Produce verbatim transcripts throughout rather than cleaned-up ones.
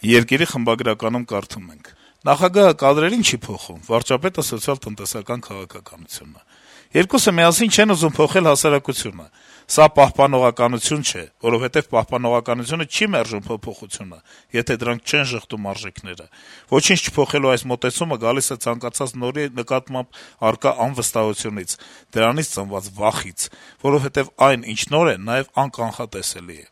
Երկիրի խմբագրականում կարդում ենք. - «Նախագահը կադրերին չի փոխում, վարչապետը սոցիալ-տնտեսական քաղաքականությունը: Երկուսը միասին չեն ուզում փոխել հասարակությունը: Սա պահպանողականություն չէ, որովհետեւ պահպանողականությունը չի մերժում փոփոխությունը, եթե դրանք չեն ժխտում արժեքները: Ոչինչ չփոխելու այս մոտեցումը գալիս է ցանկացած նորի նկատմամբ առկա անվստահությունից, դրանից ծնված վախից, որովհետեւ այն, ինչ նոր է, նաեւ անկանխատեսելի է: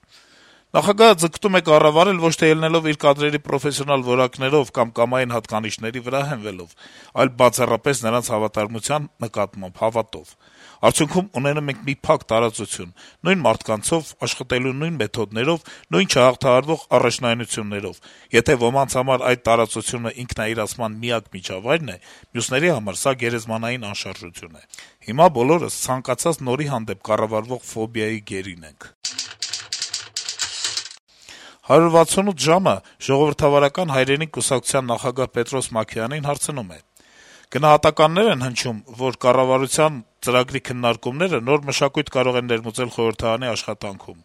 Նախագահը ձգտում է կառավարել ոչ թե ելնելով իր կադրերի պրոֆեսիոնալ որակներով կամ կամային հատկանիշների վրա հենվելով, այլ բացառապես նրանց հավատարմության նկատմամբ հավատով: Արդյունքում ունենում ենք մի փակ տարածություն, նույն մարդկանցով, աշխատելու նույն մեթոդներով, նույն չհաղթահարվող առաջնայնություններով: Եթե ոմանց համար այդ տարածությունը ինքնաիրացման միակ միջավայրն է, մյուսների համար սա գերեզմանային անշարժություն է: Հիմա բոլորս ցանկացած նորի հանդեպ կառավարվող ֆոբիայի գերին ենք»: «հարյուր վաթսունութ ժամ»-ը Ժողովրդավարական հայրենիք կուսակցության նախագահ Պետրոս Մաքեյանին հարցնում է. - «Գնահատականներ են հնչում, որ կառավարության ծրագրի քննարկումները նոր մշակույթ կարող են ներմուծել խորհրդարանի աշխատանքում: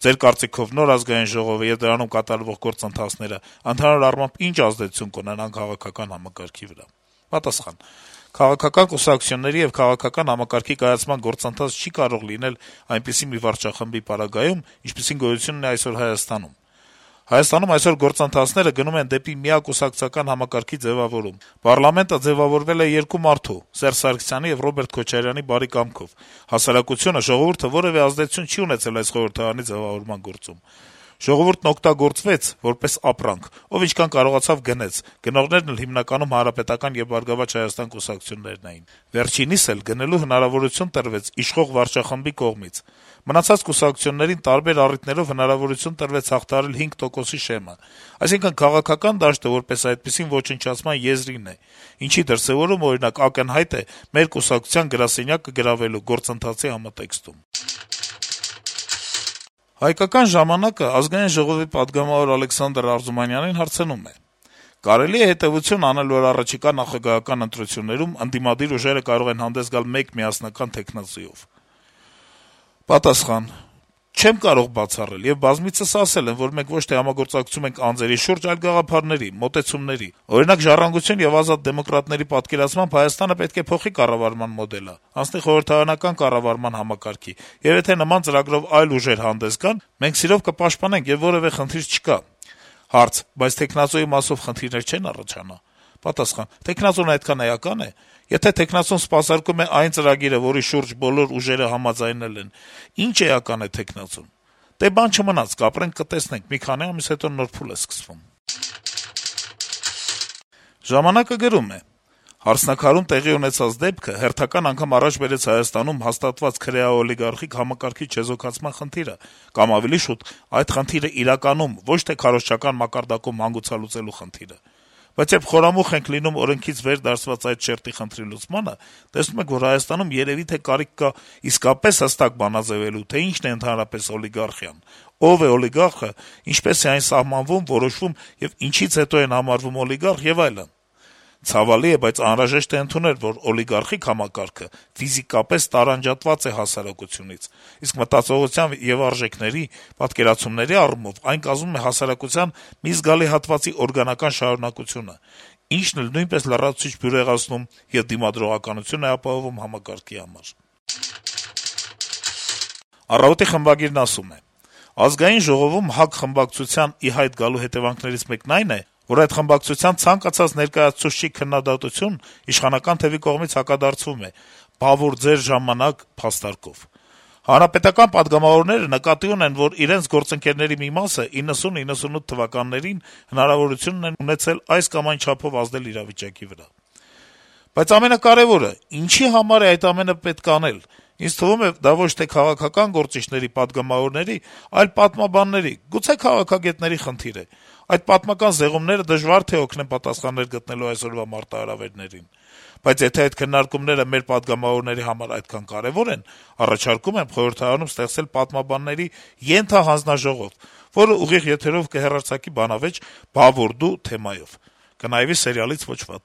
Ձեր կարծիքով նոր Ազգային ժողովը եւ դրանում կատարվող գործընթացները ընդհանուր առմամբ ինչ ազդեցություն կունենան քաղաքական համակարգի վրա»: Պատասխան. - «Քաղաքական կուսակցությունների եւ քաղաքական համակարգի կայացման գործընթաց չի կարող լինել այնպիսի մի վարչախմբի պարագայում, ինչպիսին գոյություն ունի այսօր Հայաստանում: Հայաստանում այսօր գործընթացները գնում են դեպի միակուսակցական համակարգի ձեւավորում: Պառլամենտը ձեւավորվել է երկու մարդու` Սերժ Սարգսյանի եւ Ռոբերտ Քոչարյանի բարի կամքով: Հասարակությունը, ժողովուրդը որեւէ ազդեցություն չի ունեցել այս խորհրդարանի ձեւավորման գործում: Ժողովուրդն օգտագործվեց որպես ապրանք, ով ինչքան կարողացավ գնեց, գնողներն էլ հիմնականում Հանրապետական եւ «Բարգավաճ Հայաստան» կուսակցություններն էին: Վերջինիս էլ գնելու հնարավորություն տրվեց իշխող վարչախմբի կողմից: Մնացած կուսակցություններին տարբեր առիթներով հնարավորություն տրվեց հաղթահարել հինգ տոկոսի շեմը: Այսինքն` քաղաքական դաշտը, որպես այդպիսին, ոչնչացման եզրին է, ինչի դրսեւորումը, օրինակ, ակնհայտ է մեր կուսակցության գրասենյակը գրավելու գործընթացի համատեքստում»: «Հայկական ժամանակ»-ը Ազգային ժողովի պատգամավոր Ալեքսանդր Արզումանյանին հարցնում է. - «Կարելի է հետեւություն անել, որ առաջիկա նախագահական ընտրություններում ընդդիմադիր ուժերը կարող են հանդես գալ մեկ միասնական թեկնածուով»: Պատասխան. - «Չեմ կարող բացառել, եւ բազմիցս ասել եմ, որ մենք ոչ թե համագործակցում ենք անձերի շուրջ, այլ գաղափարների, մոտեցումների: Օրինակ, «Ժառանգություն» եւ «Ազատ դեմոկրատներ»-ի պատկերացմամբ Հայաստանը պետք է փոխի կառավարման մոդելը, անցնի խորհրդարանական կառավարման համակարգի, եւ եթե նման ծրագրով այլ ուժեր հանդես գան, մենք սիրով կպաշտպանենք, եւ որեւէ խնդիր չկա»: Հարց. - «Բայց թեկնածուի մասով խնդիրներ չեն առաջանա»: Պատասխան. - «Թեկնածուն այդքան էական է: Եթե թեկնածուն սպասարկում է այն ծրագիրը, որի շուրջ բոլոր ուժերը համաձայնել են, ի՞նչ էական է թեկնածուն: Դե բան չմնաց, կապրենք, կտեսնենք, մի քանի ամիս հետո նոր փուլ է սկսվում»: «Ժամանակ»-ը գրում է. - «Հարսնաքարում տեղի ունեցած դեպքը հերթական անգամ առաջ բերեց Հայաստանում հաստատված քրեա-օլիգարխիկ համակարգի չեզոքացման խնդիրը, կամ ավելի շուտ, այդ խնդիրը իրականում, ոչ թե քարոզչական մակարդակում հանգուցալուծելու խնդիրը: Բայց երբ խորամուխ ենք լինում օրենքից վեր դասված այդ շերտի խնդրի լուծմանը, տեսնում ենք, որ Հայաստանում երեւի թե կարիք կա իսկապես հստակ բանաձեւելու, թե ինչն է ընդհանրապես օլիգարխիան, ով է օլիգարխը, ինչպես է այն սահմանվում, որոշվում եւ ինչից հետո են համարվում օլիգարխ եւ այլն: Ցավալի է, բայց անհրաժեշտ է ընդունել, որ օլիգարխիկ համակարգը ֆիզիկապես տարանջատված է հասարակությունից, իսկ մտածողության եւ արժեքների, պատկերացումների առումով այն կազմում է հասարակության մի զգալի հատվածի օրգանական շարունակությունը, ինչն էլ նույնպես լրացուցիչ բյուրեղացնում եւ դիմադրողականություն է ապահովում համակարգի համար»: «Առավոտ»-ի խմբագիրն ասում է. - «Ազգային ժողովում ՀԱԿ խմբակցության ի հայտ գալու հետեւանքներից մեկն այն է, որ այդ խմբակցության ցանկացած ներկայացուցչի քննադատություն իշխանական թեւի կողմից հակադարձվում է «բա որ ձեր ժամանակ» փաստարկով: Հանրապետական պատգամավորները նկատի ունեն, որ իրենց գործընկերների մի մասը իննսուն իննսունութ թվականներին հնարավորություն ունեն ունեցել այս կամ այն չափով ազդել իրավիճակի վրա: Բայց ամենակարեւորը` ինչի համար է այդ ամենը պետք անել: Ինձ թվում է, դա ոչ թե քաղաքական գործիչների, պատգամավորների, այլ պատմաբանների, գուցե քաղաքագետների խնդիր է: Այդ պատմական զեղումները դժվար թե օգնեն պատասխաններ գտնելու այսօրվա մարտահրավերներին: Բայց եթե այդ քննարկումները մեր պատգամավորների համար այդքան կարեւոր են, առաջարկում եմ խորհրդարանում ստեղծել պատմաբանների ենթահանձնաժողով, որը ուղիղ եթերով կհեռարձակի բանավեճ «Բա որ դու» թեմայով: Կնայվի սերիալից ոչ վատ»: